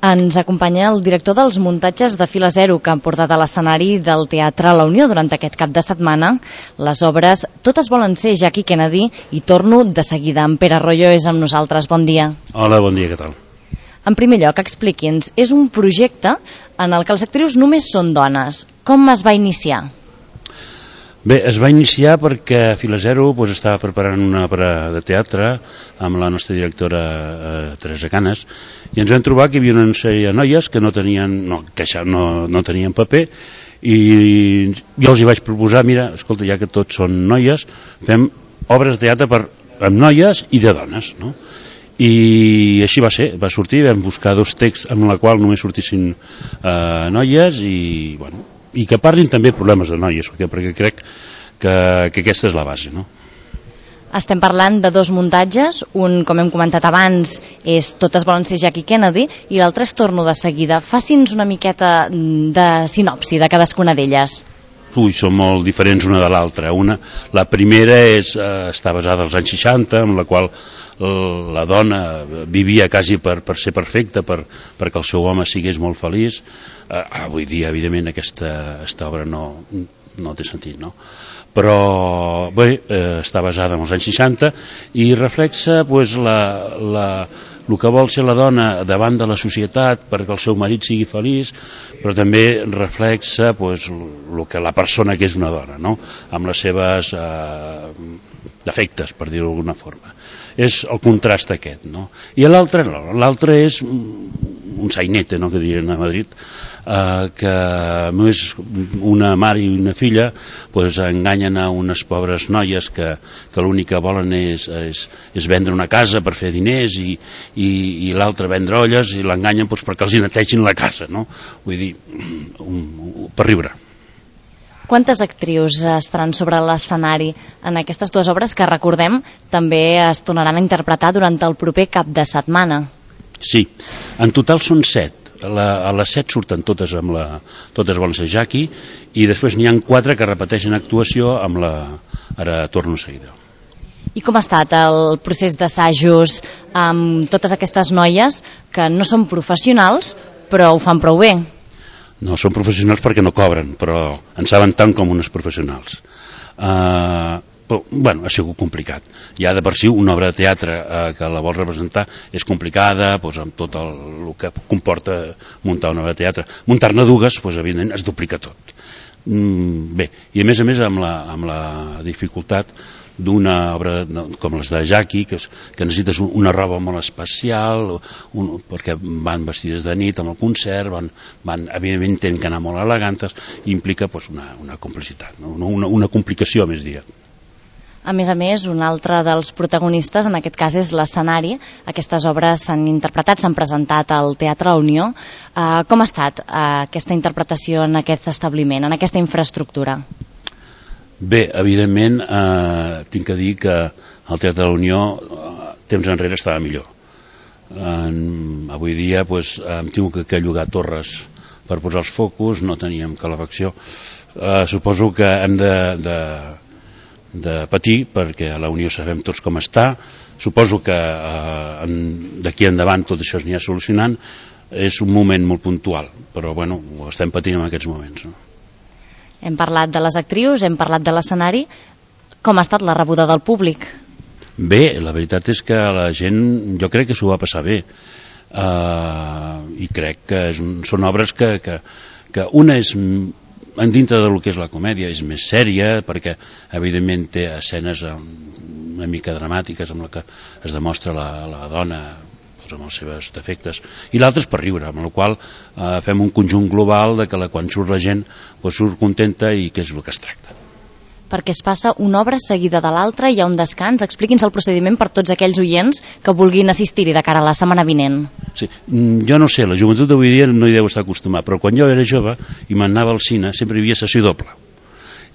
Ens acompanya el director dels muntatges de Fila Zero, que han portat a l'escenari del Teatre La Unió durant aquest cap de setmana les obres Totes volen ser Jackie Kennedy i Torno de seguida. En Pere Royo és amb nosaltres. Bon dia. Hola, bon dia, què tal? En primer lloc, expliqui'ns, és un projecte en el que les actrius només són dones. Com es va iniciar? Bé, es va iniciar perquè Fila Zero estava preparant una obra de teatre amb la nostra directora Teresa Canes i ens vam trobar que hi havia una sèrie de noies que no tenien paper i jo els hi vaig proposar, mira, escolta, ja que tots són noies, fem obres de teatre amb noies i de dones, no? I així va ser, va sortir, vam buscar 2 texts en la qual només sortissin noies i, bueno, i que parlin també problemes de noies, perquè crec que aquesta és la base, no? Estem parlant de 2 muntatges, un, com hem comentat abans, és Totes volen ser Jackie Kennedy i l'altre és Torno de seguida. Faci'ns una miqueta de sinopsi de cadascuna d'elles. Són molt diferents una de l'altra. La primera està basada als anys 60, en la qual la dona vivia quasi per ser perfecta, perquè el seu home sigués molt feliç. Avui dia, evidentment, aquesta obra no té sentit, no? Però bé, està basada en els anys 60 i reflexa el que vol ser la dona davant de la societat perquè el seu marit sigui feliç, però també reflexa el que la persona que és una dona, no? Amb les seves defectes, per dir-ho d'alguna forma. És el contrast aquest, no? I l'altre no, l'altre és un sainete, no?, que dirien a Madrid, que només una mare i una filla enganyen a unes pobres noies que l'únic que volen és vendre una casa per fer diners i l'altre vendre olles i l'enganyen perquè els hi netegin la casa, no? Vull dir, per riure. Quantes actrius estaran sobre l'escenari en aquestes 2 obres que, recordem, també es tornaran a interpretar durant el proper cap de setmana? Sí, en total són 7. A les 7 surten totes volen ser Jackie i després n'hi ha 4 que repeteixen actuació amb ara Torno de seguida. I com ha estat el procés d'assajos amb totes aquestes noies que no són professionals però ho fan prou bé? No, són professionals perquè no cobren, però en saben tant com unes professionals. Però, bueno, ha sigut complicat. Ja de per si una obra de teatre que la vol representar és complicada, amb tot el que comporta muntar una obra de teatre. Muntar-ne 2, evidentment, es duplica tot. Bé, i a més amb la dificultat d'una obra com les de Jackie, que necessites una roba molt especial, perquè van vestides de nit amb el concert, evidentment tenen que anar molt elegantes, i implica una complicitat, una complicació, més dir. A més, un altre dels protagonistes, en aquest cas, és l'escenari. Aquestes obres s'han interpretat, s'han presentat al Teatre La Unió. Com ha estat aquesta interpretació en aquest establiment, en aquesta infraestructura? Bé, evidentment, tinc que dir que el Teatre de la Unió temps enrere estava millor. Avui dia hem tingut que llogar torres per posar els focus, no teníem calefacció. Suposo que hem de patir, perquè a la Unió sabem tots com està. Suposo que d'aquí endavant tot això s'anirà solucionant. És un moment molt puntual, però bueno, ho estem patint en aquests moments, no? Hem parlat de les actrius, hem parlat de l'escenari. Com ha estat la rebuda del públic? Bé, la veritat és que la gent, jo crec que s'ho va passar bé. I crec que són obres que una és, dintre del que és la comèdia, és més sèria, perquè evidentment té escenes una mica dramàtiques amb la que es demostra la dona amb els seus defectes, i l'altre és per riure, amb la qual fem un conjunt global de que quan surt la gent surt contenta i que és el que es tracta. Perquè es passa una obra seguida de l'altra, hi ha un descans. Expliqui'ns el procediment per tots aquells oients que vulguin assistir-hi de cara a la setmana vinent. Sí, jo no sé, la joventut d'avui dia no hi deu estar acostumat, però quan jo era jove i m'anava al cine sempre hi havia sessió doble,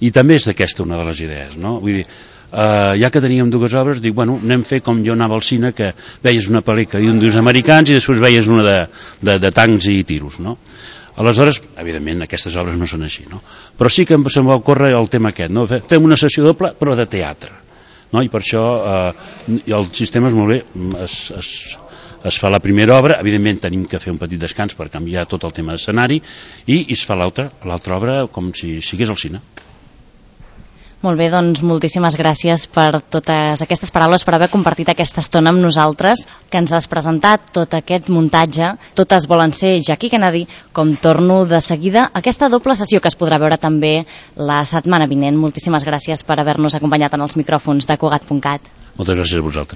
i també és d'aquesta una de les idees, no? Vull dir, ja que teníem 2 obres, dic, bueno, anem a fer com jo anava al cine, que veies una pel·lícula d'uns americans i després veies una de tancs i tiros, no? Aleshores, evidentment, aquestes obres no són així, no? Però sí que se'm va ocórrer el tema aquest, no? Fem una sessió doble, però de teatre, no? I per això el sistema és molt bé, es fa la primera obra, evidentment tenim que fer un petit descans per canviar tot el tema d'escenari, i es fa l'altra obra com si sigués al cine. Molt bé, doncs moltíssimes gràcies per totes aquestes paraules, per haver compartit aquesta estona amb nosaltres, que ens has presentat tot aquest muntatge. Totes volen ser Jackie Kennedy, com torno de seguida, aquesta doble sessió que es podrà veure també la setmana vinent. Moltíssimes gràcies per haver-nos acompanyat en els micròfons de Cugat.cat. Moltes gràcies a vosaltres.